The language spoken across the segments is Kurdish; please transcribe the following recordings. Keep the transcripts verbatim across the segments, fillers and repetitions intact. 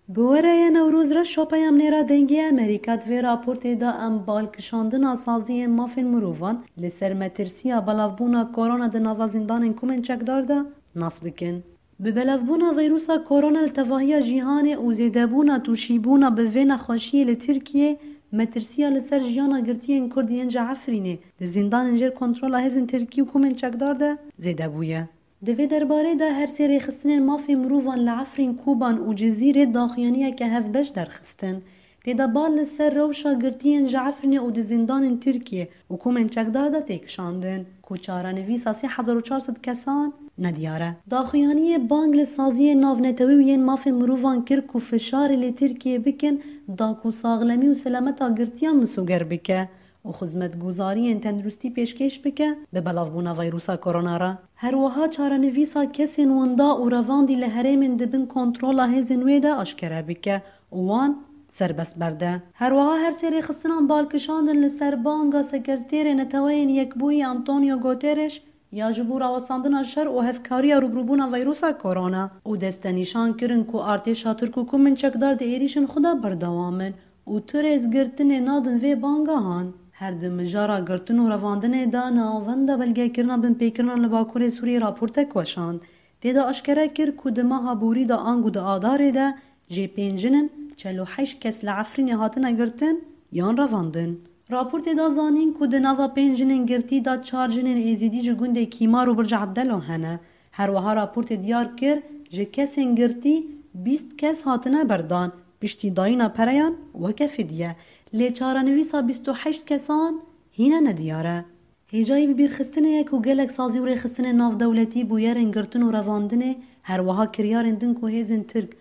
Bi we re ye Newroz Reşo, peyamnêra Dengê Amerîka. Di vê raportê de em balkişandina saziyên mafên mirovan li ser metirsiya belavbûna korona di nava zîndanên komên çekdar de nas bikin. Bi belavbûna vîrusa korona li tevahiya cîhanê û zêdebûna tûşîbûna bi vê nexweşiyê li Tirkiyê, metirsiya li ser jiyana girtiyên Kurd yên ji Efrînê di zîndanên jêr kontrola hêzên Tirkî û komên çekdar de zêde bûye. Di vê derbarê de her sê rêxistinên mafê mirovan li Efrîn, Koban û Cizîrê daxuyaniyeke hevbeş derxistin. Tê de bal li ser rewşa girtiyên ji Efrînê û di zîndanên Tirkiyê û komên çekdar de tê kişandin ku çarenivîsa sê hezar û çar sed kesan nediyar e. Daxuyaniyê bang li saziyên navnetewî û yên mafên mirovan kir ku fişarê li Tirkiyê bikin da ku saxlemî û selameta girtiyan misoger bike û xizmetguzariyên tenduristî pêşkêş bike bi belavbûna vîrusa korona re. Her wiha çarenivîsa kesên winda û revandî li herêmên di bin kontrola hêzên wê de aşkere bike û wan serbest berde. Her wiha her sê rêxistinan bal kişandin li ser banga Sekreterê Neteweyên Yekbûyî Antonio Guterres ya ji bo rawestandina şer û hevkariya rûbirûbûna vîrusa korona û destenîşan kirin ku artêşa Tirk û komên çekdar di êrîşên xwe de berdewam in û tu rêzgirtinê nadin vê bangehan. Her di mijara girtin û revandinê de Navenda Belgekirina Binpêkirina li Bakurê Sûriyê raportek weşand. Tê de aşkere kir ku di meha borî de ango di Adarê de jê pênc jin in, çel û heşt kes li Efrînê hatine girtin yan revandin. Raportê da zanîn ku di nava pênc jinên girtî de çar jinên Êzîdî ji gundê Kîmar û Birca Ebdelo hene. Her wiha raportê diyar kir, ji kesên girtî bîst kes hatine berdan, piştî dayîna pereyan weke fidye. Lê çarenivîsa bîst û heşt kesan hîne nediyar e. Hêjayî bibîrxistinê ye ku gelek sazî û rêxistinên navdewletî, bûyerên girtin û revandinê, her wiha kiryarên din ku hêzên Tirk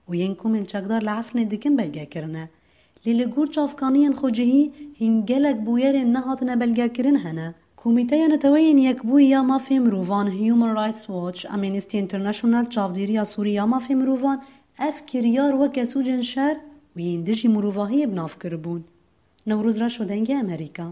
û yên komên çekdar li Efrînê dikin belge kirine. Lê li gor çavkaniyên xwecihî hîn gelek bûyerên nehatine belgekirin hene. Komîteya Neteweyên Yekbûyî ya Mafê Mirovan, Human Rights Watch, Amnesty International, Çavdêriya Sûrî ya Mafê Mirovan ev kiryar weke sûcên şer û yên dijî mirovahiyê bi nav kiribûn. Newroz Reşo, Dengê Amerîka.